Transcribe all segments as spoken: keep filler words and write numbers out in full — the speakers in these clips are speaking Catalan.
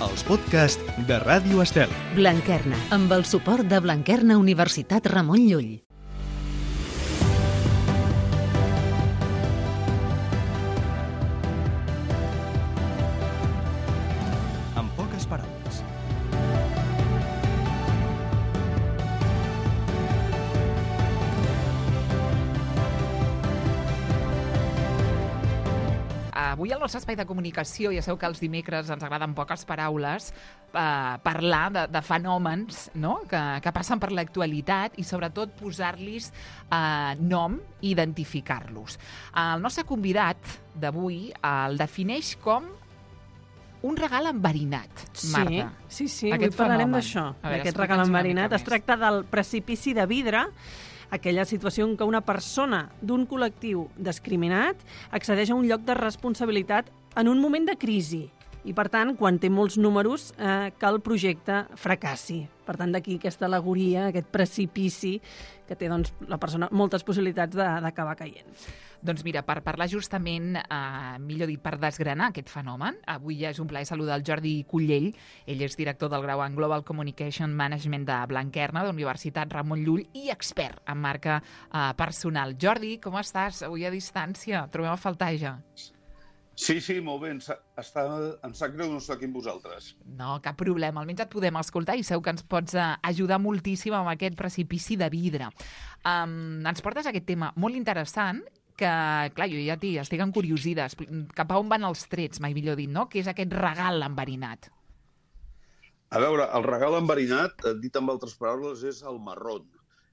els podcasts de Ràdio Estel. Blanquerna, amb el suport de Blanquerna Universitat Ramon Llull. En poques paraules. Avui al nostre espai de comunicació, ja sabeu que els dimecres ens agraden poques paraules, eh, parlar de, de fenòmens, no?, que, que passen per l'actualitat i sobretot posar-los eh, nom i identificar-los. El nostre convidat d'avui el defineix com un regal enverinat, Marta. Sí, sí, sí. Aquest Avui parlarem fenomen. d'això, A veure, d'aquest regal explica'ns una enverinat. mica Es més. tracta del precipici de vidre, aquella situació en què una persona d'un col·lectiu discriminat accedeix a un lloc de responsabilitat en un moment de crisi i, per tant, quan té molts números, eh, que el projecte fracassi. Per tant, d'aquí aquesta alegoria, aquest precipici que té doncs, la persona moltes possibilitats de- d'acabar caient. Doncs mira, per parlar justament, eh, millor dit, per desgranar aquest fenomen, avui ja és un plaer saludar el Jordi Cullell. Ell és director del grau en Global Communication Management de Blanquerna, de la Universitat Ramon Llull, i expert en marca eh, personal. Jordi, com estàs? Avui a distància. Trobem a faltar ja. Sí, sí, molt bé. Em sa- està, em sap greu no estar aquí amb vosaltres. No, cap problema. Almenys et podem escoltar i segur que ens pots eh, ajudar moltíssim amb aquest precipici de vidre. Um, ens portes aquest tema molt interessant que, clar, jo ja t'hi estic encuriosida. Expli- Cap a on van els trets, mai millor dit, no? Què és aquest regal enverinat? A veure, el regal enverinat, eh, dit amb altres paraules, és el marrón.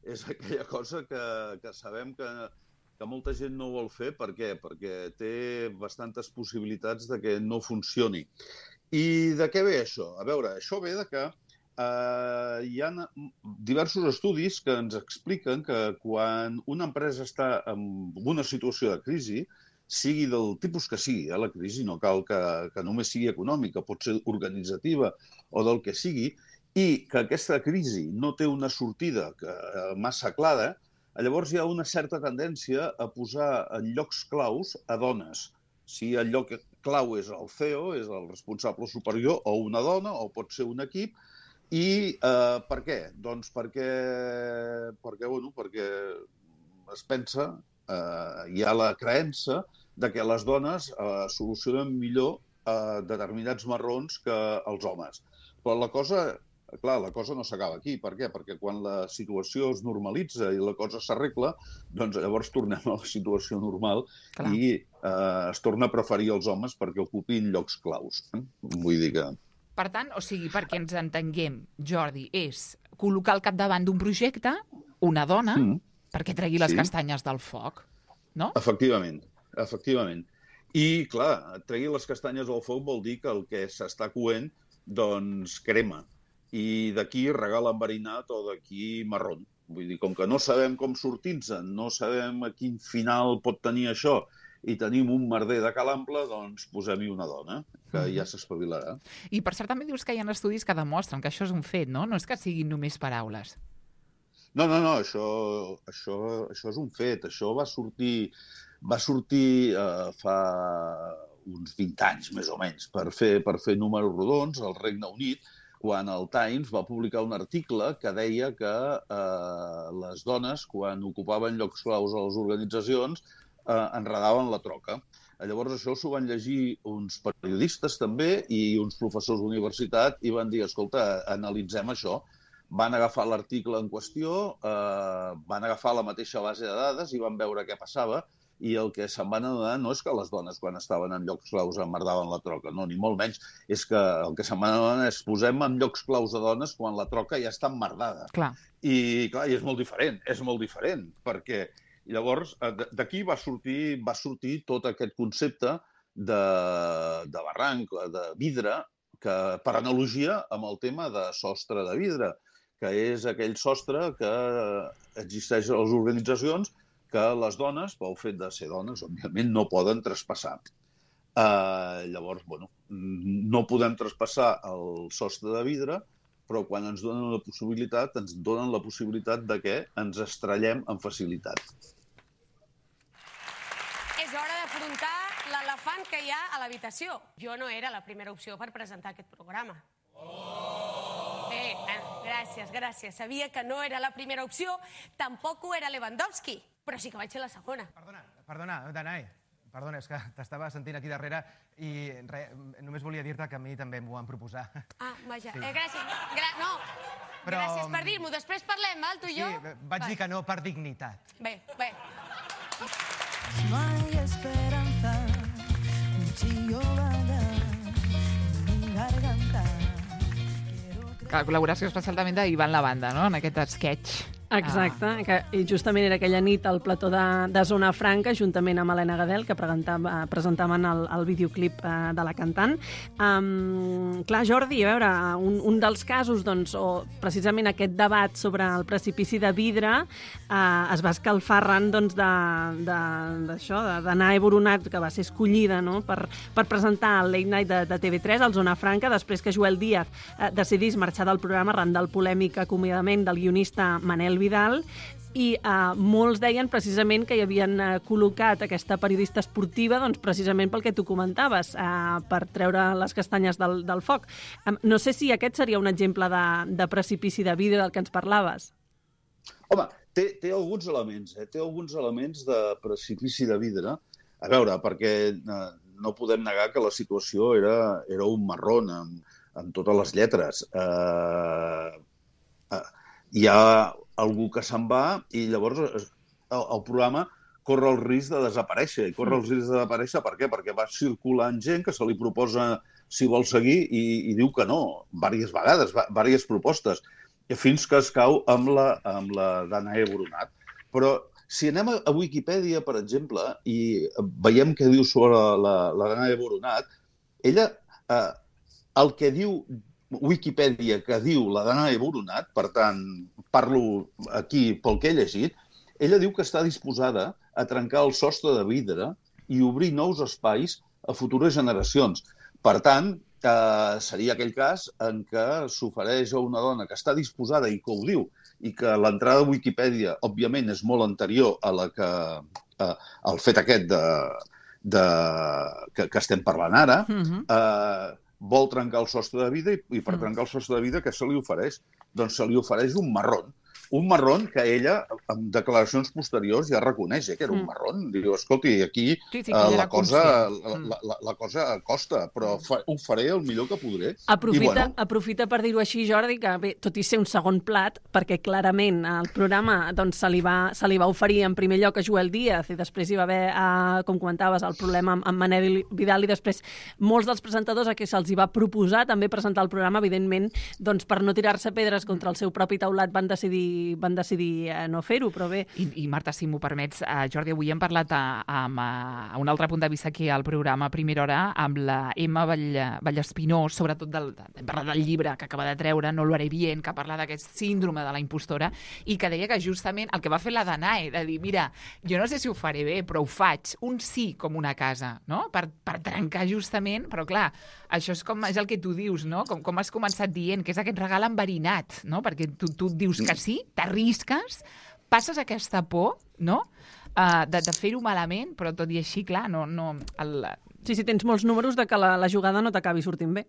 És aquella cosa que, que sabem que, que molta gent no vol fer. Per què? Perquè té bastantes possibilitats de que no funcioni. I de què ve això? A veure, això ve de que eh, hi ha diversos estudis que ens expliquen que quan una empresa està en una situació de crisi, sigui del tipus que sigui, eh, la crisi, no cal que, que només sigui econòmica, pot ser organitzativa o del que sigui, i que aquesta crisi no té una sortida que, eh, massa clara, llavors hi ha una certa tendència a posar en llocs claus a dones. Si el lloc clau és el C E O, és el responsable superior, o una dona, o pot ser un equip. I eh, per què? Doncs perquè, perquè, bueno, perquè es pensa, eh, hi ha la creença de que les dones eh, solucionen millor eh, determinats marrons que els homes. Però la cosa, clar, la cosa no s'acaba aquí. Per què? Perquè quan la situació es normalitza i la cosa s'arregla, doncs llavors tornem a la situació normal. Clar. I eh, es torna a preferir els homes perquè ocupin llocs claus. Eh? Vull dir que... Per tant, o sigui, perquè ens entenguem, Jordi, és col·locar al capdavant d'un projecte una dona mm. perquè tregui les Sí. castanyes del foc, no? Efectivament, efectivament. I, clar, tregui les castanyes del foc vol dir que el que s'està coent, doncs, crema. I d'aquí regal enverinat o d'aquí marrón. Vull dir, com que no sabem com sortir-se'n, no sabem a quin final pot tenir això, i tenim un merder de calample, doncs posem-hi una dona, que ja s'espavilarà. I per cert també dius que hi ha estudis que demostren que això és un fet, no? No és que siguin només paraules. No, no, no, això, això, això és un fet. Això va sortir, va sortir eh, fa uns vint anys, més o menys, per fer, per fer números rodons al Regne Unit, quan el Times va publicar un article que deia que eh, les dones, quan ocupaven llocs claus a les organitzacions, eh, enredaven la troca. Llavors això s'ho van llegir uns periodistes també i uns professors d'universitat i van dir, escolta, analitzem això. Van agafar l'article en qüestió, eh, van agafar la mateixa base de dades i van veure què passava i el que se'n van adonar no és que les dones quan estaven en llocs claus emmerdaven la troca, no, ni molt menys. És que el que se'n van adonar és posem en llocs claus de dones quan la troca ja està emmerdada. Clar. I, clar, i és molt diferent, és molt diferent, perquè llavors d'aquí va sortir, va sortir tot aquest concepte de, de barranc, de vidre, que per analogia amb el tema de sostre de vidre, que és aquell sostre que existeix a les organitzacions que les dones, pel fet de ser dones, òbviament, no poden traspassar. Uh, llavors, bueno, no podem traspassar el sostre de vidre, però quan ens donen la possibilitat, ens donen la possibilitat de que ens estrellem amb facilitat. És hora d'afrontar l'elefant que hi ha a l'habitació. Jo no era la primera opció per presentar aquest programa. Oh! Bé, eh, gràcies, gràcies. Sabia que no era la primera opció, tampoc ho era Lewandowski, però sí que vaig ser la segona. Perdona, perdona, Danae. Perdona, és que t'estava sentint aquí darrere i re, només volia dir-te que a mi també m'ho van proposar. Ah, vaja. Sí. Eh, gràcies. Gra no. Però... Gràcies per dir-m'ho. Després parlem, val, tu i jo? Sí, vaig Va. dir que no per dignitat. Bé, bé. No hay esperanza, un chillo vaga en mi garganta. Que la col·laboració especial també d'Ivan La Banda, no?, en aquest sketch. Exacte, ah. que justament era aquella nit al plató de, de Zona Franca, juntament amb Helena Gadel, que presentava, presentaven el, el videoclip uh, de la cantant. Um, clar, Jordi, a veure, un, un dels casos, doncs, o precisament aquest debat sobre el precipici de vidre, uh, es va escalfar arran doncs, d'això, de, de, de Danae Boronat, que va ser escollida, no?, per, per presentar el Late Night de, de T V tres, al Zona Franca, després que Joel Díaz uh, decidís marxar del programa arran del polèmic acomiadament del guionista Manel Vidal, i uh, molts deien precisament que hi havien uh, col·locat aquesta periodista esportiva doncs, precisament pel que tu comentaves, uh, per treure les castanyes del, del foc. Um, no sé si aquest seria un exemple de, de precipici de vidre del que ens parlaves. Home, té, té alguns elements, eh? té alguns elements de precipici de vidre. A veure, perquè eh, no podem negar que la situació era, era un marrón amb, amb totes les lletres. Eh, eh, hi ha algú que se'n va i llavors el, el programa corre el risc de desaparèixer. I corre el risc de desaparèixer per què? Perquè va circulant gent que se li proposa si vol seguir i, i diu que no, diverses vegades, diverses propostes, fins que es cau amb la, amb la Danae Boronat. Però si anem a, a Wikipedia, per exemple, i veiem què diu sobre la, la Danae Boronat, ella, eh, el que diu Wikipedia que diu la Danae Boronat, per tant, parlo aquí pel que he llegit, ella diu que està disposada a trencar el sostre de vidre i obrir nous espais a futures generacions. Per tant, eh, seria aquell cas en què s'ofereix a una dona que està disposada i que ho diu, i que l'entrada a Wikipedia, òbviament, és molt anterior a la que, eh, al fet aquest de, de, que, que estem parlant ara, uh-huh. eh, vol trencar el sostre de vida i, i per trencar el sostre de vida què se li ofereix? Doncs se li ofereix un marrón. Un marrón que ella, amb declaracions posteriors, ja reconeix eh, que era un marrón. Diu, escolti, aquí sí, sí, uh, la, cosa, la, la, la, la cosa costa, però fa, ho faré el millor que podré. Aprofita, I, bueno, aprofita per dir-ho així, Jordi, que bé, tot i ser un segon plat, perquè clarament el programa doncs, se, li va, se li va oferir en primer lloc a Joel Díaz i després hi va haver, eh, com comentaves, el problema amb, amb Manel Vidal i després molts dels presentadors a què se'ls hi va proposar també presentar el programa, evidentment, doncs, per no tirar-se pedres contra el seu propi taulat van decidir van decidir eh, no fer-ho, però bé... I, i Marta, si m'ho permets, uh, Jordi, avui hem parlat a, a, a un altre punt de vista aquí al programa a Primera Hora amb la Emma Vall, Vallespinós, sobretot del, hem parlat del llibre que acaba de treure, No lo haré bien, que parla d'aquest síndrome de la impostora, i que deia que justament el que va fer la Danae, de dir, mira, jo no sé si ho faré bé, però ho faig, un sí com una casa, no? Per, per trencar justament, però clar, això és, com, és el que tu dius, no? Com, com has començat dient, que és aquest regal enverinat, no? Perquè tu, tu dius que sí, t'arrisques, passes aquesta por, no?, uh, de, de fer-ho malament, però tot i així, clar, no... no el... Sí, sí, tens molts números de que la, la jugada no t'acabi sortint bé.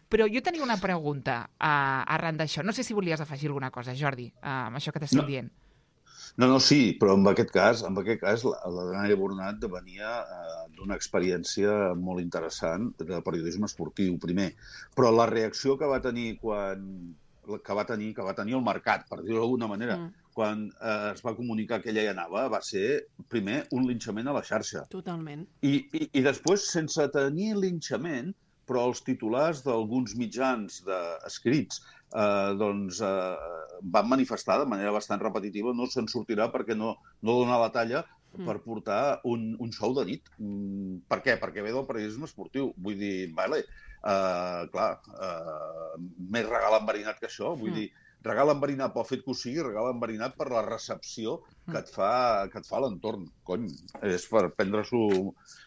Però jo tenia una pregunta uh, arran d'això. No sé si volies afegir alguna cosa, Jordi, uh, amb això que t'estic no. dient. No, no, sí, però en aquest cas, en aquest cas la, la Danae Boronat venia eh, d'una experiència molt interessant de periodisme esportiu, primer. Però la reacció que va tenir quan... que va tenir que va tenir el mercat, per dir-ho d'alguna manera, mm. quan eh, es va comunicar que ella hi anava, va ser, primer, un linxament a la xarxa. Totalment. I, i, i després, sense tenir linxament, però els titulars d'alguns mitjans de, escrits eh, doncs, eh, van manifestar de manera bastant repetitiva no se'n sortirà perquè no, no dona la talla mm. per portar un, un show de nit. Mm, per què? Perquè ve del periodisme esportiu. Vull dir, vale, Uh, clar, uh, més regal enverinat que això, vull mm. dir, regal enverinat pel fet que ho sigui, regal enverinat per la recepció que et fa, que et fa l'entorn. Cony, és per prendre-s'ho,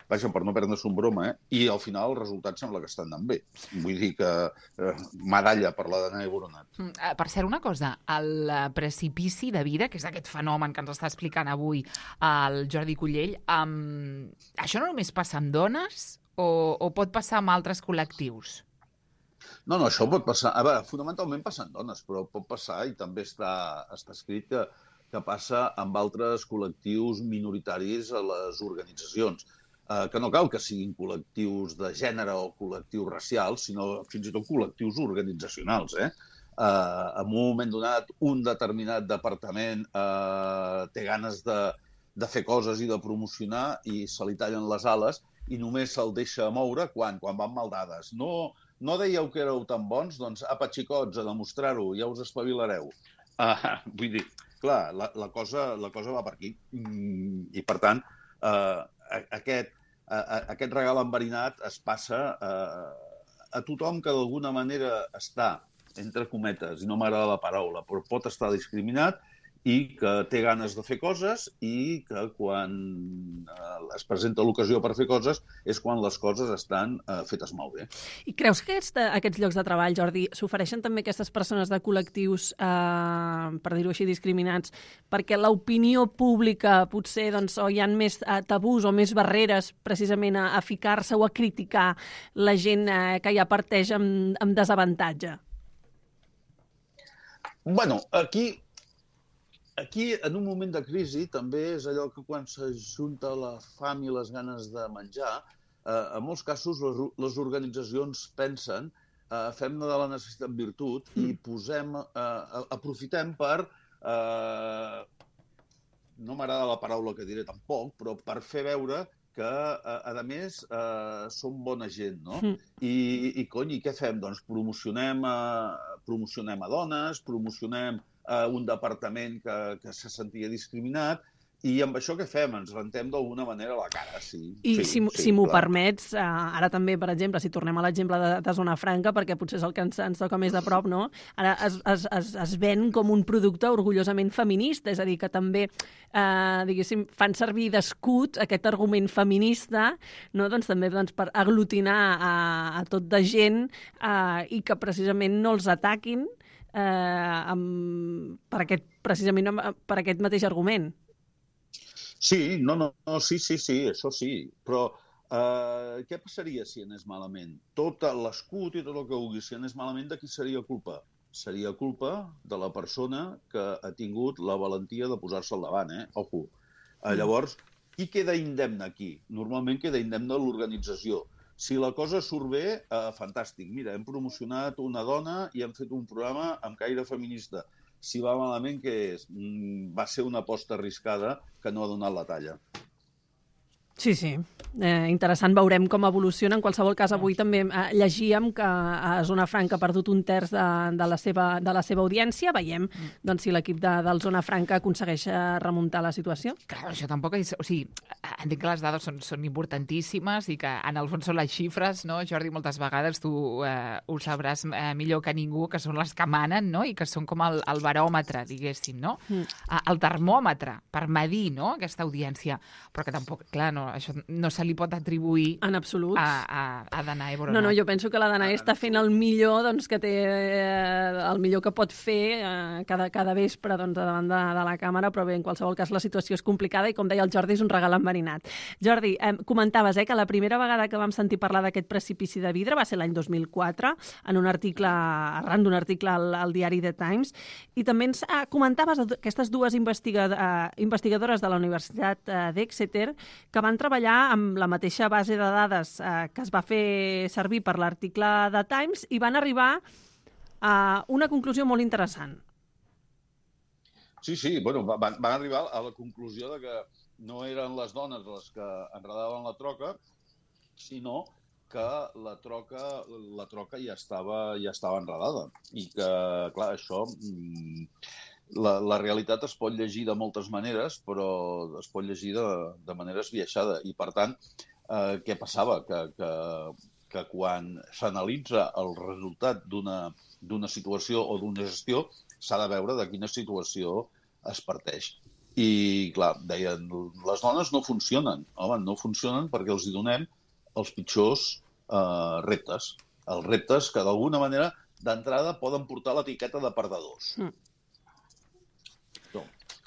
vaja, per no prendre-s'ho en broma, eh? I al final el resultat sembla que està anant bé. Vull dir que uh, medalla per la Danae Boronat. Mm, uh, per cert, una cosa, el precipici de vida, que és aquest fenomen que ens està explicant avui el Jordi Cullell, um, això no només passa amb dones o, o pot passar amb altres col·lectius? No, no, això pot passar... A veure, fonamentalment passa en dones, però pot passar, i també està, està escrit que, que passa amb altres col·lectius minoritaris a les organitzacions. Eh, que no cal que siguin col·lectius de gènere o col·lectius racials, sinó fins i tot col·lectius organitzacionals, eh? Eh, en un moment donat, un determinat departament eh, té ganes de, de fer coses i de promocionar i se li tallen les ales i només se'l deixa moure quan, quan van mal dades. No, no dèieu que éreu tan bons? Doncs, apa, xicots, a demostrar-ho, ja us espavilareu. Uh, vull dir, clar, la, la, cosa, la cosa va per aquí. Mm, I, per tant, uh, aquest, uh, aquest regal enverinat es passa uh, a tothom que d'alguna manera està, entre cometes, i no m'agrada la paraula, però pot estar discriminat i que té ganes de fer coses i que quan eh, es presenta l'ocasió per fer coses és quan les coses estan eh, fetes molt bé. I creus que aquests, aquests llocs de treball, Jordi, s'ofereixen també aquestes persones de col·lectius, eh, per dir-ho així, discriminats, perquè l'opinió pública potser doncs, o hi ha més eh, tabús o més barreres precisament a, a ficar-se o a criticar la gent eh, que ja parteix amb, amb desavantatge? Bueno, aquí... Aquí, en un moment de crisi, també és allò que quan s'ajunta la fam i les ganes de menjar, eh, en molts casos les, les organitzacions pensen, eh, fem-ne de la necessitat virtut i posem, eh, aprofitem per, eh, no m'agrada la paraula que diré tampoc, però per fer veure que, a, a més, eh, som bona gent, no? I, i cony, i què fem? Doncs promocionem a, promocionem a dones, promocionem Uh, un departament que, que se sentia discriminat, i amb això què fem? Ens rentem d'alguna manera la cara, sí. I sí, si, sí, si m'ho clar. permets, uh, ara també, per exemple, si tornem a l'exemple de, de Zona Franca, perquè potser és el que ens, ens toca més de prop, no? Ara es, es, es, es ven com un producte orgullosament feminista, és a dir, que també, uh, diguéssim, fan servir d'escut aquest argument feminista, no? Doncs també doncs, per aglutinar a, a tot de gent uh, i que precisament no els ataquin Eh, amb, per aquest, precisament per aquest mateix argument. Sí, no, no, no, sí, sí, sí, això sí, però eh, què passaria si anés malament? Tot l'escut i tot el que vulgui, si anés malament, de qui seria culpa? Seria culpa de la persona que ha tingut la valentia de posar-se al davant, eh? Ojo. Eh, llavors, qui queda indemne aquí? Normalment queda indemne l'organització. Si la cosa surt bé, eh, fantàstic. Mira, hem promocionat una dona i hem fet un programa amb caire feminista. Si va malament, què és? Mm, va ser una aposta arriscada que no ha donat la talla. Sí, sí. Eh, interessant, veurem com evoluciona. En qualsevol cas, avui també eh, llegíem que a Zona Franca ha perdut un terç de, de, la, seva, de la seva audiència. Veiem doncs, si l'equip de, del Zona Franca aconsegueix remuntar la situació. Clar, això tampoc és... O sigui, entenc que les dades són, són importantíssimes i que en el fons són les xifres, no? Jordi, moltes vegades tu eh, ho sabràs eh, millor que ningú, que són les que manen, no? I que són com el, el baròmetre, diguéssim, no? Mm. El termòmetre per medir, no?, aquesta audiència. Però que tampoc, clar, no, això no se li pot atribuir en absolut a, a, a Danae Boronat. No, no, jo penso que la Danae està fent el millor doncs, que té, eh, el millor que pot fer eh, cada, cada vespre doncs, davant de, de la càmera, però bé, en qualsevol cas la situació és complicada i, com deia el Jordi, és un regal enverinat. Jordi, eh, comentaves eh, que la primera vegada que vam sentir parlar d'aquest precipici de vidre va ser l'any dos mil quatre, en un article, arran d'un article al, al diari The Times, i també ens eh, comentaves aquestes dues investiga, eh, investigadores de la Universitat eh, d'Exeter que van treballar amb la mateixa base de dades eh, que es va fer servir per l'article de Times i van arribar a una conclusió molt interessant. Sí, sí, bueno, van, van arribar a la conclusió de que no eren les dones les que enredaven la troca, sinó que la troca, la troca ja estava, ja estava enredada. I que, clar, això... Mm, La, la realitat es pot llegir de moltes maneres, però es pot llegir de, de manera esbiaixada. I, per tant, eh, què passava? Que, que, que quan s'analitza el resultat d'una situació o d'una gestió, s'ha de veure de quina situació es parteix. I, clar, deien, les dones no funcionen. Home, no funcionen perquè els hi donem els pitjors eh, reptes. Els reptes que, d'alguna manera, d'entrada poden portar l'etiqueta de perdedors. Mm.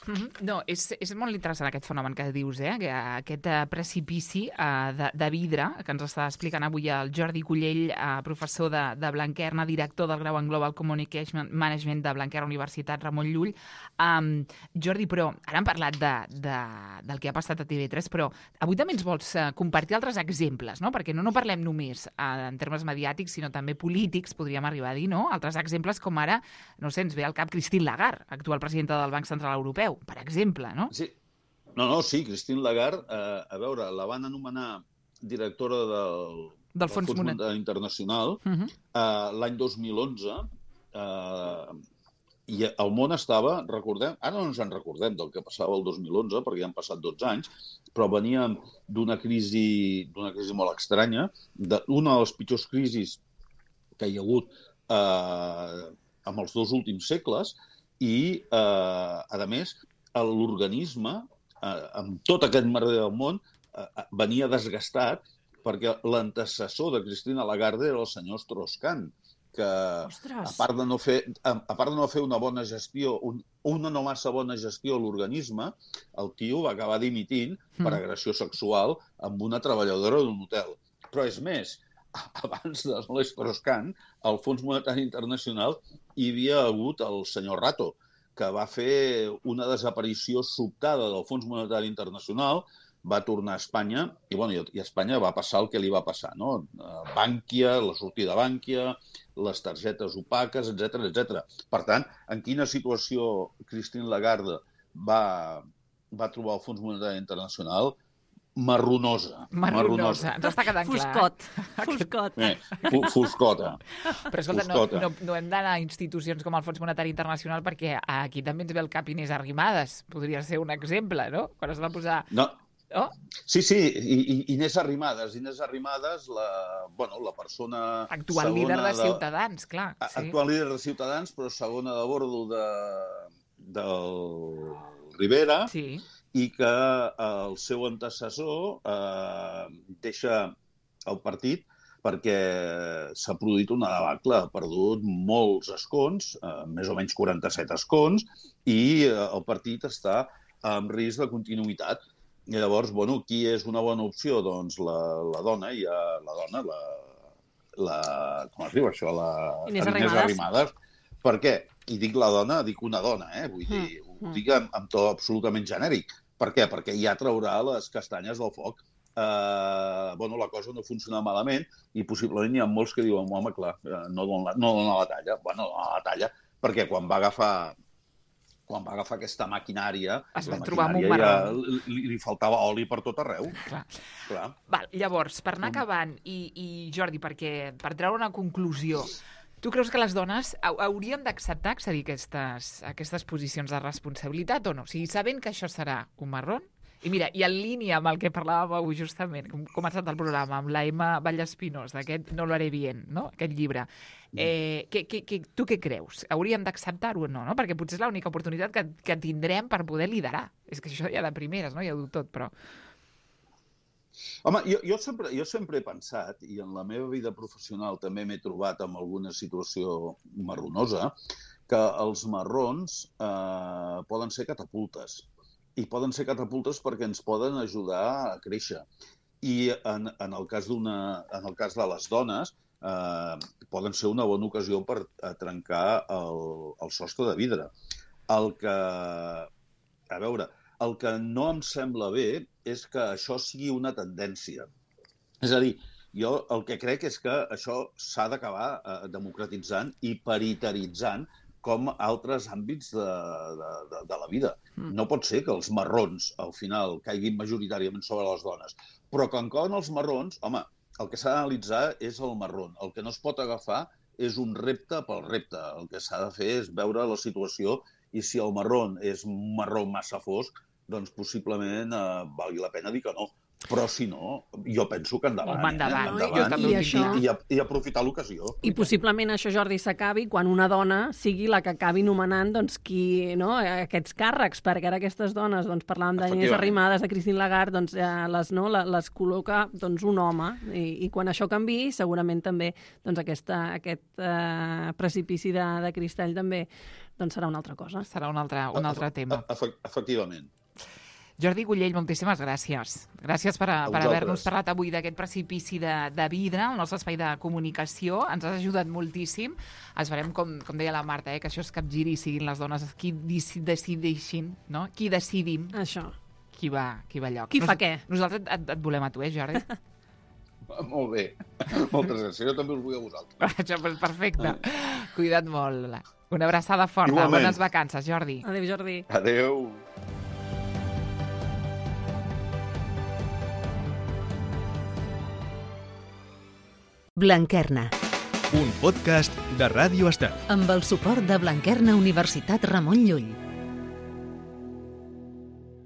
Mm-hmm. No, és, és molt interessant aquest fenomen que dius, eh? Que, aquest uh, precipici uh, de, de vidre que ens està explicant avui el Jordi Cullell, uh, professor de, de Blanquerna, director del grau en Global Communication Management de Blanquerna Universitat Ramon Llull. Um, Jordi, però ara hem parlat de, de, del que ha passat a T V tres, però avui també ens vols uh, compartir altres exemples, no? Perquè no, no parlem només uh, en termes mediàtics, sinó també polítics, podríem arribar a dir, no? Altres exemples com ara, no sé, ens ve al cap Christine Lagarde, actual presidenta del Banc Central Europeu, per exemple, no? Sí. No, no, sí, Christine Lagarde, eh, a veure, la van anomenar directora del, del, del Fons, Fons Monetari Internacional uh-huh. eh, l'any dos mil onze, eh, i el món estava, recordem, ara no ens en recordem del que passava el dos mil onze, perquè ja han passat dotze anys, però veníem d'una crisi, d'una crisi molt estranya, d'una de les pitjors crisis que hi ha hagut eh, en els dos últims segles, i, eh, a més, l'organisme, eh, amb tot aquest merder del món, eh, venia desgastat perquè l'antecessor de Christine Lagarde era el senyor Strauss-Kahn, que Ostres. a part de no fer, a, a part de no fer una bona gestió, un, una no massa bona gestió a l'organisme, el tio va acabar dimitint mm. per agressió sexual amb una treballadora d'un hotel. Però és més, abans de l'Strauss-Kahn, al Fons Monetari Internacional hi havia hagut el senyor Rato, que va fer una desaparició sobtada del Fons Monetari Internacional, va tornar a Espanya, i, bueno, i a Espanya va passar el que li va passar, no? Bànquia, la sortida de Bànquia, les targetes opaques, etcètera, etcètera. Per tant, en quina situació Christine Lagarde va, va trobar el Fons Monetari Internacional? Marronosa. Marronosa, ens està quedant Foscot. clar. Foscot. Eh, foscota. Però escolta, no, no, no hem d'anar a institucions com el Fons Monetari Internacional perquè aquí també ens ve el cap Inés Arrimadas. Podria ser un exemple, no? Quan es va posar... No. Oh? Sí, sí, I, I, Inés Arrimadas. Inés Arrimadas, la, bueno, la persona... Actual líder de Ciutadans, clar. Sí. Actual líder de Ciutadans, però segona de bordo de, del Rivera. Sí. I que el seu antecessor eh, deixa el partit perquè s'ha produït una debacle, ha perdut molts escons, eh, més o menys quaranta-set escons, i eh, el partit està en risc de continuïtat. I llavors, bueno, qui és una bona opció? Doncs la, la dona, i ja, la dona, la, la... com es diu això? La Inés Arrimadas. Arrimadas. Per què? I dic la dona, dic una dona, eh? Vull dir, mm. ho dic amb, amb to absolutament genèric. Per què? Perquè ja traurà les castanyes del foc. Eh, bueno, la cosa no funciona malament i possiblement hi ha molts que diuen, home, clar, no dona, no dona la talla. Bueno, no dona la talla perquè quan va agafar quan va agafar aquesta maquinària, es la va trobar amb un maquinària ja marró. li, li faltava oli per tot arreu. Clar. Clar. Val, llavors, per anar acabant, i, i Jordi, perquè per treure una conclusió, tu creus que les dones hauríem d'acceptar accedir a aquestes, a aquestes posicions de responsabilitat o no? O sigui, sabent que això serà un marrón, i mira, i en línia amb el que parlàvem avui justament, com ha començat el programa, amb la Emma Vallespinós, d'aquest No lo haré bien, no? Aquest llibre, eh, que, que, que, tu què creus? Hauríem d'acceptar-ho o no? no? Perquè potser és l'única oportunitat que, que tindrem per poder liderar. És que això ja de primeres, no? Ja ho diu tot, però... Home, jo, jo, sempre, jo sempre he pensat, i en la meva vida professional també m'he trobat amb alguna situació marronosa, que els marrons eh, poden ser catapultes. I poden ser catapultes perquè ens poden ajudar a créixer. I en, en, el, cas d'una, en el cas de les dones, eh, poden ser una bona ocasió per trencar el, el sostre de vidre. El que... A veure... El que no em sembla bé és que això sigui una tendència. És a dir, jo el que crec és que això s'ha d'acabar eh, democratitzant i paritaritzant com altres àmbits de, de, de, de la vida. Mm. No pot ser que els marrons, al final, caiguin majoritàriament sobre les dones. Però quan cauen els marrons, home, el que s'ha d'analitzar és el marron. El que no es pot agafar és un repte pel repte. El que s'ha de fer és veure la situació i si el marron és un marró massa fosc, doncs possiblement eh, valgui la pena dir que no. Però si no, jo penso que endavant. Home, endavant. Eh? Jo endavant també ho i, tinc clar. i, i, i aprofitar l'ocasió. I possiblement això, Jordi, s'acabi quan una dona sigui la que acabi nomenant doncs, qui, no, aquests càrrecs, perquè ara aquestes dones, doncs, parlàvem d'Inés Efectivament. Arrimadas, de Christine Lagarde, doncs, eh, les, no, les, les col·loca doncs, un home, i, i quan això canvi, segurament també doncs, aquesta, aquest eh, precipici de, de cristall també doncs, serà una altra cosa. Serà un altre, un altre tema. Efe- Efectivament. Jordi Gullell, moltíssimes gràcies. Gràcies per, a, A per vosaltres. haver-nos parlat avui d'aquest precipici de, de vidre, el nostre espai de comunicació. Ens has ajudat moltíssim. Esperem, com, com deia la Marta, eh, que això es capgiri i siguin les dones qui deci- decideixin, no? Qui decidim Això. qui va, qui va a lloc. Qui fa què? Nosaltres et, et volem a tu, eh, Jordi? Molt bé. Moltes gràcies. Jo també us vull a vosaltres. Això, doncs, perfecte. Cuida't molt. Una abraçada forta. Igualment. Bones vacances, Jordi. Adéu, Jordi. Adéu. Blanquerna, Un podcast de Ràdio Estel. amb el suport de Blanquerna Universitat Ramon Llull.